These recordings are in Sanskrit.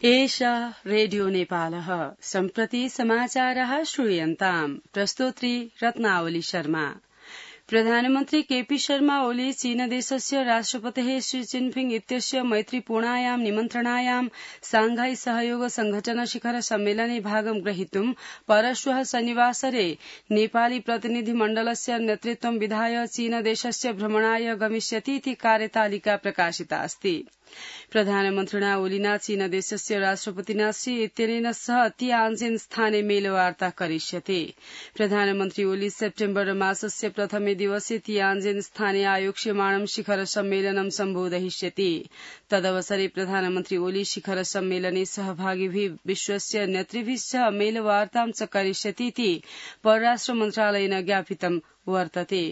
एषः रेडियो नेपालः सम्प्रति समाचारः श्रूयन्ताम् प्रस्तोत्री रत्नावली शर्मा। प्रधानमन्त्री केपी शर्मा ओली चीनदेशस्य राष्ट्रपतेः शी जिनपिंग इत्यस्य मैत्रीपूर्णायां निमन्त्रणायां सांघाई सहयोग संघटन शिखर सम्मेलने भागं ग्रहीतुं परश्वः शनिवासरे नेपाली प्रतिनिधिमण्डलस्य नेतृत्वं विधाय चीनदेशस्य भ्रमणाय गमिष्यतीति कार्यतालिका प्रकाशिता अस्ति। प्रधानमन्त्रिणा ओलिना चीनदेशस्य राष्ट्रपतिना शी इत्यनेन सह तियान्जिन स्थाने मेलवार्ता करिष्यते। प्रधानमन्त्री ओली सेप्टेम्बर मासस्य प्रथमे दिवसे तियान्जिन स्थाने आयोक्ष्यमाणं शिखर सम्मेलनं सम्बोधयिष्यति। तदवसरे प्रधानमन्त्री ओली शिखर सम्मेलने सहभागिभिः विश्वस्य नेतृभिः सह मेलवार्तां च करिष्यतीति परराष्ट्र मन्त्रालयेन ज्ञापितम् वर्तते।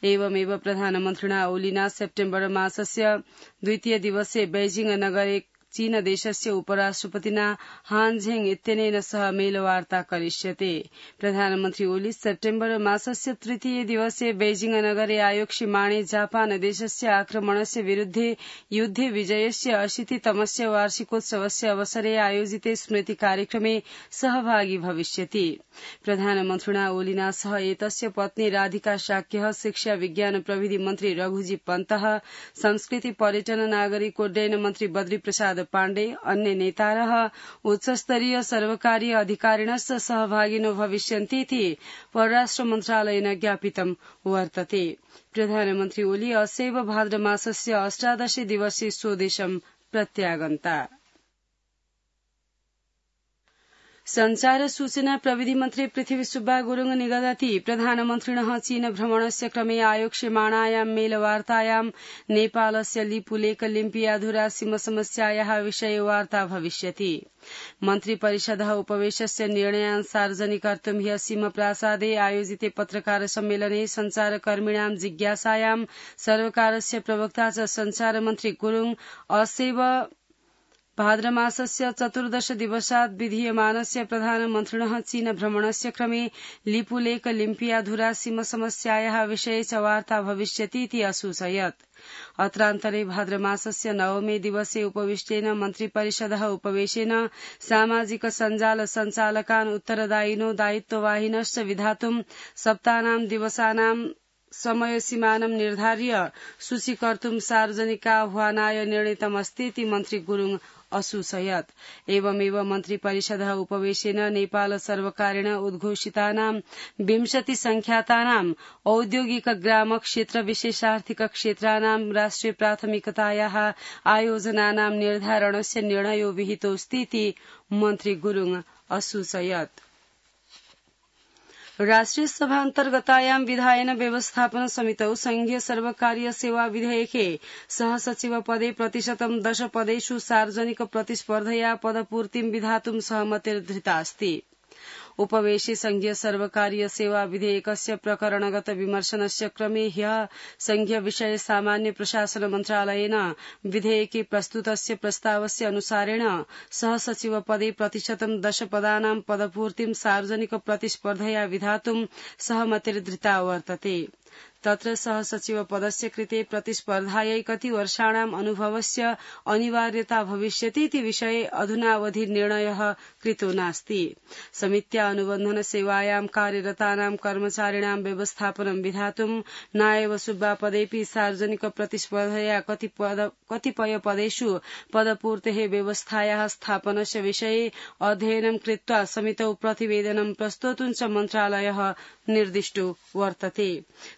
एवमेव प्रधानमन्त्रिणा ओलिना सेप्टेम्बर मासस्य द्वितीय दिवसे बेजिंग नगरे चीनदेशस्य उपराष्ट्रपतिना हान झेंग इत्यनेन सह मेलवार्ता करिष्यते। प्रधानमन्त्री ओली सेप्टेम्बर मासस्य तृतीय दिवसे बेजिंग नगरे आयोक्ष्यमाणे जापान देशस्य आक्रमणस्य विरुद्धे युद्धे विजयस्य 80तमस्य वार्षिकोत्सवस्य अवसरे आयोजिते स्मृति कार्यक्रमे सहभागी भविष्यति। प्रधानमन्त्रिणा ओलिना सह एतस्य पत्नी राधिका शाक्यः, शिक्षा विज्ञान प्रविधि मन्त्री रघुजी पन्तः, संस्कृति पर्यटन नागरिकोड्डयन मन्त्री बद्री प्रसाद पाण्डे, अन्य नेतारः उच्चस्तरीय सर्वकारीय अधिकारिणश्च सहभागिनो भविष्यन्तीति परराष्ट्र मन्त्रालयेन ज्ञापितं वर्तते। प्रधानमन्त्री ओली असैव भाद्रमासस्य 18 दिवसे स्वदेशं प्रत्यागन्ता। संचार सूचना प्रविधि मन्त्री पृथ्वी सुब्बा गुरुङ निगदति प्रधानमन्त्रिणः चीन भ्रमणस्य क्रमे आयोक्ष्यमाणायां मेलवार्तायां नेपालस्य लिपुलेख लिम्पियाधुरा सीमसमस्यायाः विषये वार्ता भविष्यति। मन्त्रिपरिषदः उपवेशस्य निर्णयान् सार्वजनिकर्तुं ह्यः सीमप्रासादे आयोजिते पत्रकार सम्मेलने संचारकर्मिणां जिज्ञासायां सर्वकारस्य प्रवक्ता च संचारमन्त्री गुरुङ असैव भाद्रमासस्य 14 दिवसात् विधीयमानस्य प्रधानमन्त्रिणः चीन भ्रमणस्य क्रमे लिपुलेख लिम्पियाधुरा सीमसमस्यायाः विषये च वार्ता भविष्यतीति असूचयत्। अत्रान्तरे भाद्रमासस्य 9 दिवसे उपविष्टेन मन्त्रिपरिषदः उपवेशेन सामाजिक सञ्जाल सञ्चालकान् उत्तरदायिनो दायित्ववाहिनश्च विधातुं सप्तानां दिवसानां समयसीमानं निर्धार्य सूचीकर्तुं सार्वजनिकाह्वानाय निर्णीतमस्तीति मन्त्री गुरुङ असूचयत्। एवमेव मन्त्रिपरिषदः उपवेशेन नेपाल सर्वकारेण उद्घोषितानां 20 संख्यातानां औद्योगिक ग्राम क्षेत्र विशेषार्थिक क्षेत्राणां राष्ट्रिय प्राथमिकतायाः आयोजनानां निर्धारणस्य निर्णयो विहितोऽस्तीति मन्त्री गुरुङ असूचयत्। राष्ट्रिय सभान्तर्गतायां विधायन व्यवस्थापन समितौ संघीय सर्वकारीय सेवा विधेयके सहसचिव पदे 10% पदेषु सार्वजनिक प्रतिस्पर्धया पदपूर्तिं विधातुं सहमतिर्धृता अस्ति। उपवेशे संघीय सर्वकारीय सेवा विधेयकस्य प्रकरणगत विमर्शनस्य क्रमे ह्यः संघीय विषय सामान्य प्रशासन मन्त्रालयेन विधेयके प्रस्तुतस्य प्रस्तावस्य अनुसारेण सहसचिव पदे 10% पदानां पदपूर्तिं सार्वजनिक प्रतिस्पर्धया विधातुं सहमतिर्धृता वर्तते। तत्र सहसचिव पदस्य कृते प्रतिस्पर्धायै कति वर्षाणाम् अनुभवस्य अनिवार्यता भविष्यतीति विषये अधुनावधि निर्णयः कृतो नास्ति। समित्या अनुबन्धन सेवायां कार्यरतानां कर्मचारिणां व्यवस्थापनं विधातुं नायव सुब्बा पदेपि सार्वजनिक प्रतिस्पर्धया कतिपय पदेषु पदपूर्तेः व्यवस्थायाः स्थापनस्य विषये अध्ययनं कृत्वा समितौ प्रतिवेदनं प्रस्तोतुं च मन्त्रालयः निर्दिष्टो वर्तते।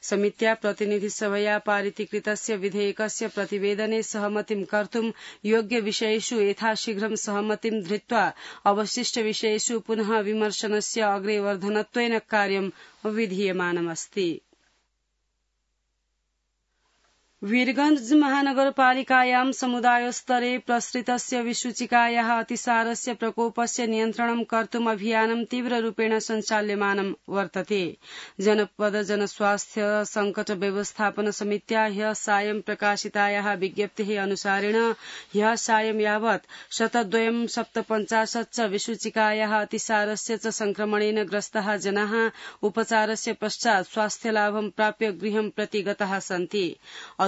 समित्या प्रतिनिधिसभया पारितीकृतस्य विधेयकस्य प्रतिवेदने सहमतिं कर्तुं योग्य विषयेषु यथाशीघ्रं सहमतिं धृत्वा अवशिष्ट विषयेषु पुनः विमर्शनस्य अग्रेवर्धनत्वेन कार्यं विधीयमानमस्ति। वीरगंज महानगरपालिकायां समुदायस्तरे प्रसृतस्य विसूचिकायाः अतिसारस्य प्रकोपस्य नियन्त्रणं कर्तुम् अभियानं तीव्ररूपेण सञ्चाल्यमानं वर्तते। जनपद जनस्वास्थ्य संकट व्यवस्थापन समित्या ह्यः सायं प्रकाशितायाः विज्ञप्तेः अनुसारेण ह्यः सायं यावत् 157 च विसूचिकायाः अतिसारस्य च संक्रमणेन ग्रस्ताः जनाः उपचारस्य पश्चात् स्वास्थ्यलाभं प्राप्य गृहं प्रति गताः सन्ति।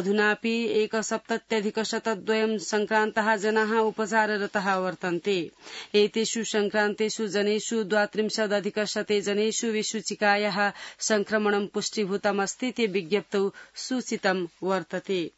अधुनापि 1,70,102 संक्रान्ताः जनाः उपचाररताः वर्तन्ते। एतेषु संक्रान्तेषु जनेषु 32,100 जनेषु विषूचिकायाः संक्रमणं पुष्टीभूतमस्ति इति विज्ञप्तौ सूचितं वर्तते।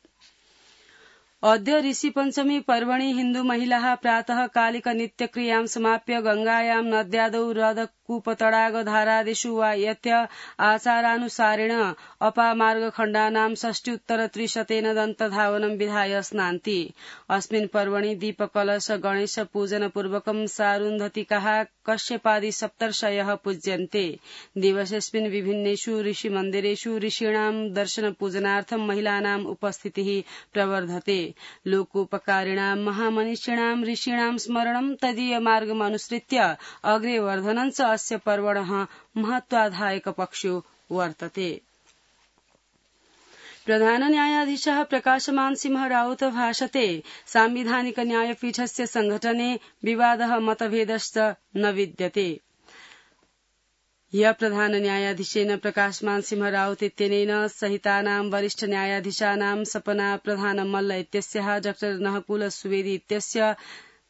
अद्य ऋषिपञ्चमी पर्वणि हिन्दू महिलाः प्रातः कालिक नित्यक्रियां समाप्य गंगायां नद्यादौ हृदकूपतडागधारादिषु वा यत्य आचारानुसारेण अपामार्गखण्डानां 60-300 दन्तधावनं विधाय स्नान्ति। अस्मिन् पर्वणि दीपकलश गणेश पूजन पूर्वकं सारुन्धतिकाः कश्यपादि सप्तर्षयः पूज्यन्ते। दिवसेऽस्मिन् विभिन्नेषु ऋषिमन्दिरेषु ऋषीणां दर्शन पूजनार्थं महिलानाम् उपस्थितिः प्रवर्धते। लोकोपकारिणां महामनीषिणां ऋषीणां स्मरणं तदीयमार्गमनुसृत्य अग्रे वर्धनं च अस्य पर्वणः महत्वाधायक पक्षो वर्तते। प्रधान न्यायाधीशः प्रकाशमान सिंह राउत भाषते सांविधानिक न्यायपीठस्य संघटने विवादः मतभेदश्च न विद्यते। ह्यः प्रधान न्यायाधीशेन प्रकाशमान सिंह राउत इत्यनेन सहितानां वरिष्ठ न्यायाधीशानां सपना प्रधान मल्ल इत्यस्याः डॉ नहकुल सुवेदी इत्यस्य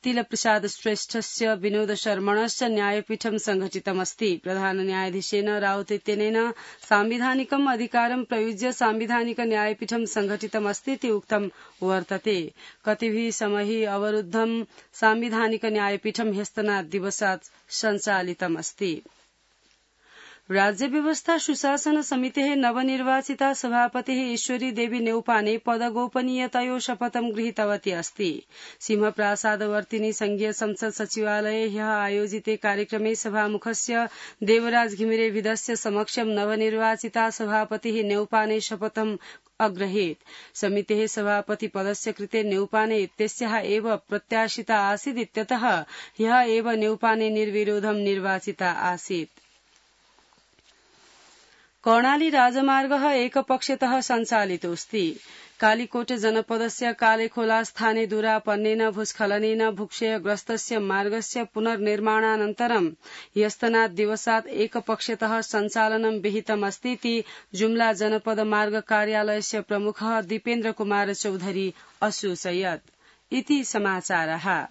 तिलप्रसाद श्रेष्ठस्य विनोद शर्मणश्च न्यायपीठं संघटितमस्ति। प्रधान न्यायाधीशेन राउत इत्यनेन सांविधानिकम् अधिकारं प्रयुज्य सांविधानिक न्यायपीठं संघटितमस्ति इति उक्तं वर्तते। कतिभिः समयैः अवरुद्धं सांविधानिक न्यायपीठं ह्यस्तनात् दिवसात् सञ्चालितमस्ति। राज्य व्यवस्था सुशासन समितेः नवनिर्वाचिता सभापतिः ईश्वरी देवी नेउपाने पदगोपनीयतयो शपथं गृहीतवती अस्ति। सिंहप्रासादवर्तिनी संघीय संसद सचिवालये ह्यः आयोजिते कार्यक्रमे सभामुखस्य देवराज घिमिरे विधस्य समक्षं नवनिर्वाचिता सभापतिः नेउपाने शपथम् अग्रहीत्। समितेः सभापति पदस्य कृते नेउपाने इत्यस्याः एव प्रत्याशिता आसीत् इत्यतः ह्यः एव नेउपाने निर्विरोधं निर्वाचिता आसीत्। कर्णाली राजमार्गः एकपक्षतः सञ्चालितोऽस्ति। कालिकोट जनपदस्य कालेखोला स्थाने दुरापन्नेन भूस्खलनेन भूक्षयग्रस्तस्य मार्गस्य पुनर्निर्माणानन्तरं ह्यस्तनात् दिवसात् एकपक्षतः सञ्चालनं विहितमस्ति इति जुम्ला जनपद मार्ग कार्यालयस्य प्रमुखः दीपेन्द्र कुमार चौधरी असूचयत्। इति समाचारः।